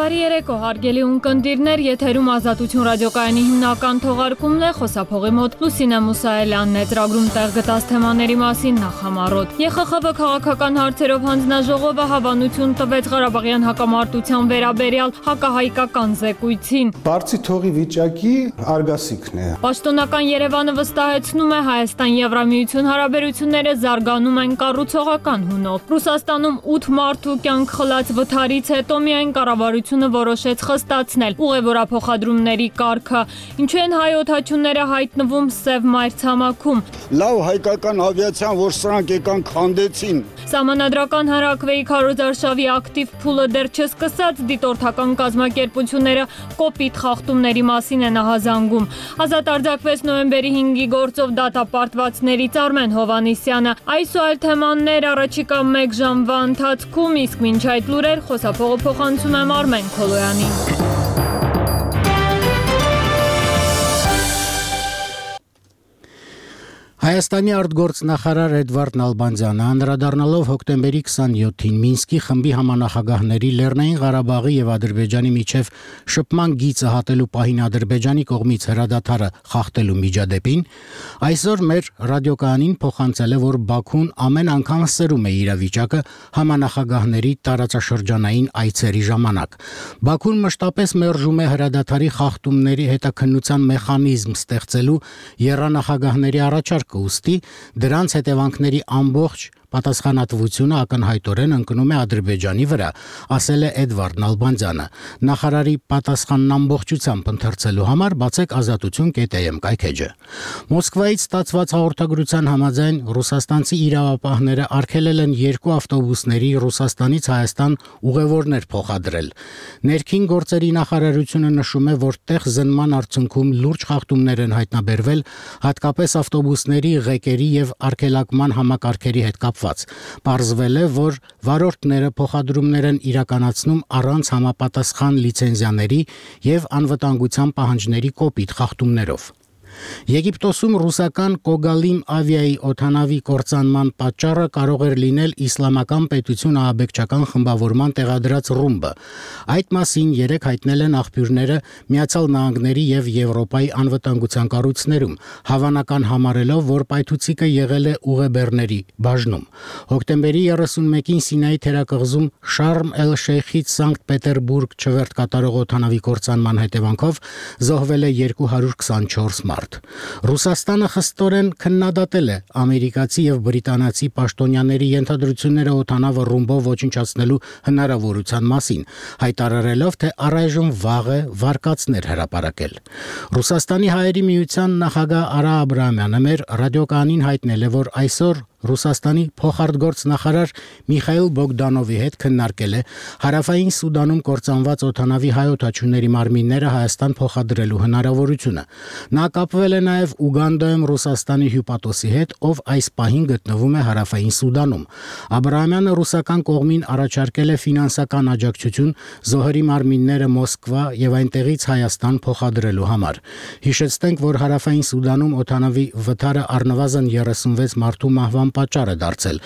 Բարի երեկո, հարգելի ունկնդիրներ, եթերում Ազատություն ռադիոկայանի հիմնական թողարկումն է, խոսափողի մոտ Լուսինե Մուսայելյանն է, ծրագրում տեղ գտած թեմաների մասին նախամարոտ։ ԵԽԽՎ քաղաքական հարցերով հանձնաժողովը հավանություն տվեց Ղարաբաղյան հակամարտության վերաբերյալ հակահայկական զեկույցին։ Բարձի թողի վիճակի արգասիքն է։ Պաշտոնական Երևանը վստահեցնում է Հայաստան-Եվրամիություն հարաբերությունները զարգանում են կառուցողական հունով։ Ռուսաստանում 8 մարդու կյանք խլած վթարից հետո միայն կառավարությունը որոշեց խստացնել ուղևորափոխադրումների կարգը։ Ինչու են հայ օդաչուները հայտնվում Սև մայրցամաքում։ Լավ հայկական ավիացիան, որ սրանք եկան քանդեցին։ Սահմանադրական հանրաքվեի քարոզարշավի ակտիվ փուլը դեռ չսկսած դիտորդական կազմակերպությունները կոպիտ խախտումների մասին են ահազանգում։ Ազատ արձակվեց նոյեմբերի 5-ի գործով դատապարտվածներից Արմեն Հովհաննիսյանը։ Այս ու այլ թեմաներ առաջիկա 1 ժամվա ընթացքում, իսկ մինչ այդ լուրեր խոսափողը փոխանցում եմ Արմեն Քոլոյանին։ Հայաստանի արտգործնախարար Էդվարդ Նալբանդյանը անդրադառնալով հոկտեմբերի 27-ին Մինսկի խմբի համանախագահների Լեռնային Ղարաբաղի եւ Ադրբեջանի միջև շփման գիծը հատելու պահին Ադրբեջանի կողմից հրադադարը խախտելու միջադեպին, այսօր մեր ռադիոկայանին փոխանցել է, որ Բաքուն ամեն անգամ սրում է իրավիճակը համանախագահների տարածաշրջանային այցերի ժամանակ։ Բաքուն մշտապես մերժում է հրադադարի խախտումների հետաքննության մեխանիզմ ստեղծելու եռանախագահների առաջարկը, ուստի դրանց հետևանքների ամբողջ պատասխանատվությունը ակնհայտորեն ընկնում է Ադրբեջանի վրա, ասել է Էդվարդ Նալբանդյանը։ Նախարարի պատասխանն ամբողջությամբ ընթերցելու համար բացեք ազատություն.am կայքեջը։ Մոսկվայից ստացված հաղորդագրության համաձայն ռուսաստանցի իրավապահները արգելել են 2 ավտոբուսների Ռուսաստանից Հայաստան ուղևորներ փոխադրել։ Ներքին գործերի նախարարությունը նշում է, որ տեղ զննման արդյունքում լուրջ խախտումներ են հայտնաբերվել, հատկապես ավտոբուսների ղեկերի եւ արգելակման համակարգերի հետ կապված։ Պարզվել է, որ վարորդները փոխադրումներ են իրականացնում առանց համապատասխան լիցենզիաների եւ անվտանգության պահանջների կոպիտ խախտումներով։ Եգիպտոսում ռուսական Կոգալիմ ավիայի օդանավի կործանման պատճառը կարող էր լինել իսլամական պետություն ահաբեկչական խմբավորման տեղադրած ռումբը։ Այդ մասին երեկ հայտնել են աղբյուրները Միացյալ Նահանգների եւ Եվրոպայի անվտանգության կառույցներում, հավանական համարելով, որ պայթուցիկը եղել է ուղեբեռների բաժնում։ Հոկտեմբերի 31-ին Սինայի թերակղզում Շարմ էլ-Շեյխից Սանկտ Պետերբուրգ չվերթ կատարող օդանավի կործանման հետևանքով զոհվել է 224 մարդ։ Ռուսաստանը խստորեն քննադատել է ամերիկացի եւ բրիտանացի պաշտոնյաների ենթադրությունները օդանավը ռումբով ոչնչացնելու հնարավորության մասին, հայտարարելով, թե առայժմ վաղ է վարկածներ հրապարակել։ Ռուսաստանի հայերի միության նախագահ Արա Աբրահամյանը մեր ռադիոկայանին հայտնել է, որ այսօր Ռուսաստանի փոխարտգործնախարար Միխայիլ Բոգդանովի հետ քննարկել է Հարավային Սուդանում կործանված օդանավի հայ օդաչուների մարմինները Հայաստան փոխադրելու հնարավորությունը։ Նա կապվել է նաև Ուգանդայում Ռուսաստանի հյուպատոսի հետ, ով այս պահին գտնվում է Հարավային Սուդանում։ Աբրահամյանը ռուսական կողմին առաջարկել է ֆինանսական աջակցություն զոհերի մարմինները Մոսկվա եւ այնտեղից Հայաստան փոխադրելու համար։ Հիշեցնենք, որ Հարավային Սուդանում օդանավի վթարը առնվազն 36 մարդու մահվան պատճառ է դարձել։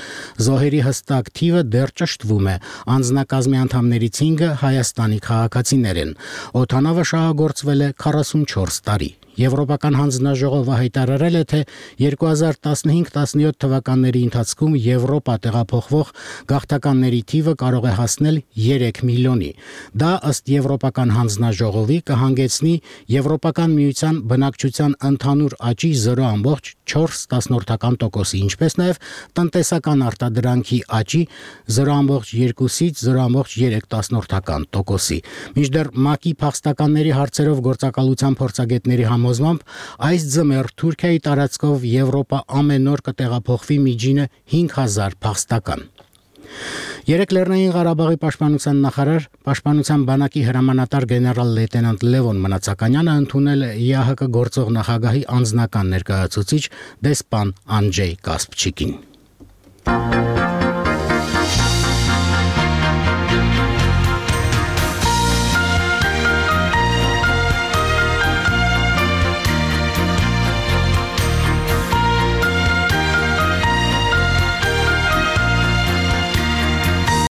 Զոհերի հստակ թիվը դեռ ճշտվում է։ Անձնակազմի անդամներից 5-ը Հայաստանի քաղաքացիներ են։ Օդանավը շահագործվել է 44 տարի։ Եվրոպական հանձնաժողովը հայտարարել է, թե 2015-17 թվականների ընթացքում Եվրոպա տեղափոխվող գաղթականների թիվը կարող է հասնել 3 միլիոնի։ Դա ըստ Եվրոպական հանձնաժողովի կհանգեցնի Եվրոպական միության բնակչության ընդհանուր աճի 0.4%-ի, ինչպես նաև տնտեսական արտադրանքի աճի 0.2-ից 0.3%-ի։ Մինչդեռ ՄԱԿ-ի փախստականների հարցերով գործակալության փորձագետների համոզմամբ այս ձմեռ Թուրքիայի տարածքով Եվրոպա ամեն օր կտեղափոխվի միջինը 5000 փախստական։ Երեկ Լեռնային Ղարաբաղի պաշտպանության նախարար, պաշտպանության բանակի հրամանատար գեներալ լեյտենանտ Լևոն Մնացականյանը ընդունել է ԵԱՀԿ գործող նախագահի անձնական ներկայացուցիչ դեսպան Անջեյ Կասպչիկին։